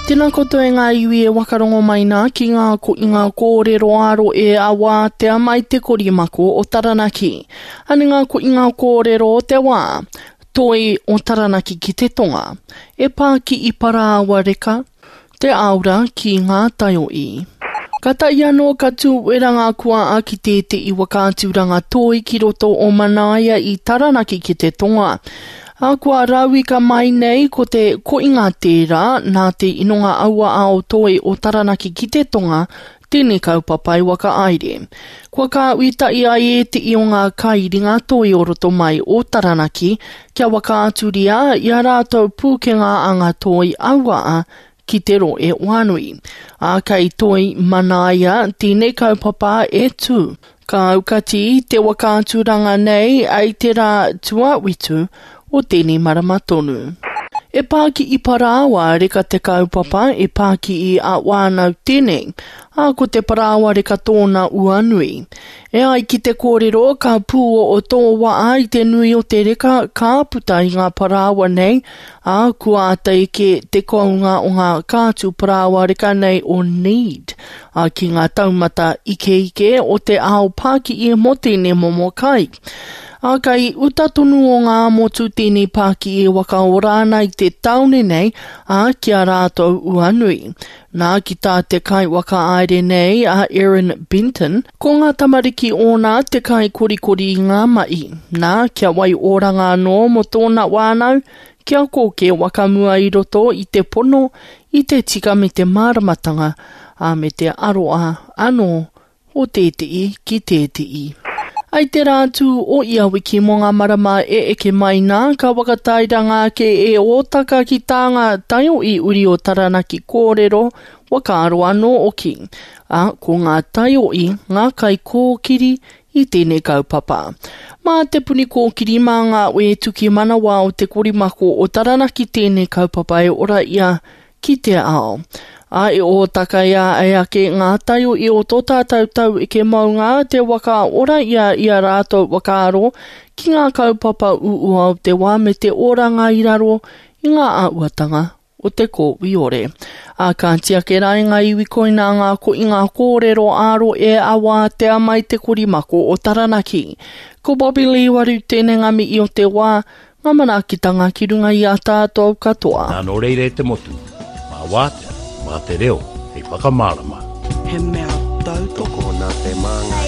Tēnā koutou e ngā iwi e wakarongo mai nā ki ngā ko i ngā kōrero aro e a wātea mai te korimako o Taranaki. Ane ngā ko i ngā kōrero o te wā, toi o Taranaki ki te tonga, e pā ki i parāoa reka, Te Aura ki ngā taioī. Katahi anō ka tū wera ngā kuaa ki tētehi whakaaturanga toi ki roto o Manaia i Taranaki ki te tonga. Ā, kua rauika mai nei ko te koinga tērā nā te inonga aua ao toi o Taranaki ki te tonga tēnei kaupapa i whakahaere. Kua kāhui tahi ai ētehi o ngā kairinga toi o roto mai o Taranaki kia whakaaturia i a rātou pūkenga anga toi auaa ki te rohe whānui. Ā, kei Toi Manaia tēnei kaupapa e tū. Ka aukati te whakaaturanga nei i te rā tuawhitu o tēnei marama tonu. E pā ki i parāoa reka te kaupapa, e pā ki i a whānau tēnei, ā, ko te parāoa reka tōna ua nui. E ai ki te kōrero, ka pūoo tō waa i te nui o te reka ka puta i ngā parāoa nei, ā, kua āta eke te kounga o ngā kātū parāoa reka nei o Need, ā, ki ngā taumata ikeike o te ao pāki'i mō tēnei momo kai. Ā, kei uta tonu o ngā motu tēnei pāki e whakaora ana i te tāone nei, ā, ki a rātou ua nui. Nā, ki tā te kaiwhakahaere nei a Erin Benton, ko ngā tamariki ōna te kaikorikori i ngā mahi. Nā, kia wai oranga anō mō tōna whānau, kia kōkē whakamua i roto i te pono, i te tika me te māramatanga, ā, me te aroha anō o tētehi ki tētehi. I te rā tū o ia wiki mō ngā marama e eke mai nā, ka whakatairanga ake e Ōtaka ki tā ngā taiohi uri o Taranaki kōrero, whakaaro anō hoki. Ā, ko ngā taiohi ngā kaikōkiri i tēnei kaupapa. Mā Te Puni Kōkiri, mā ngā wētuki manawa o Te Korimako o Taranaki tēnei kaupapa e ora ia ki te ao. Ā, e ōtakaia ai ake ngā taiohi o tō tātou tau eke maunga te waka ora ia i a rātou whakaaro ki ngā kaupapa uua o te wā me te oranga i raro i ngā āhuatanga o te kōwiore. Ā, kāti ake rā e ngā iwi koinā ngā koinga kōrero ā-rohe e awātea mai te korimako o Taranaki. Ko Bobby Lee Waru tēnei ngā mihi o te wā, Ngā manaakitanga ki runga i a tātou katoa. Nā nō reira e te motu, mā Wātea, mā te reo hei whakamārama. He mea tautoko. Tokona te māngai.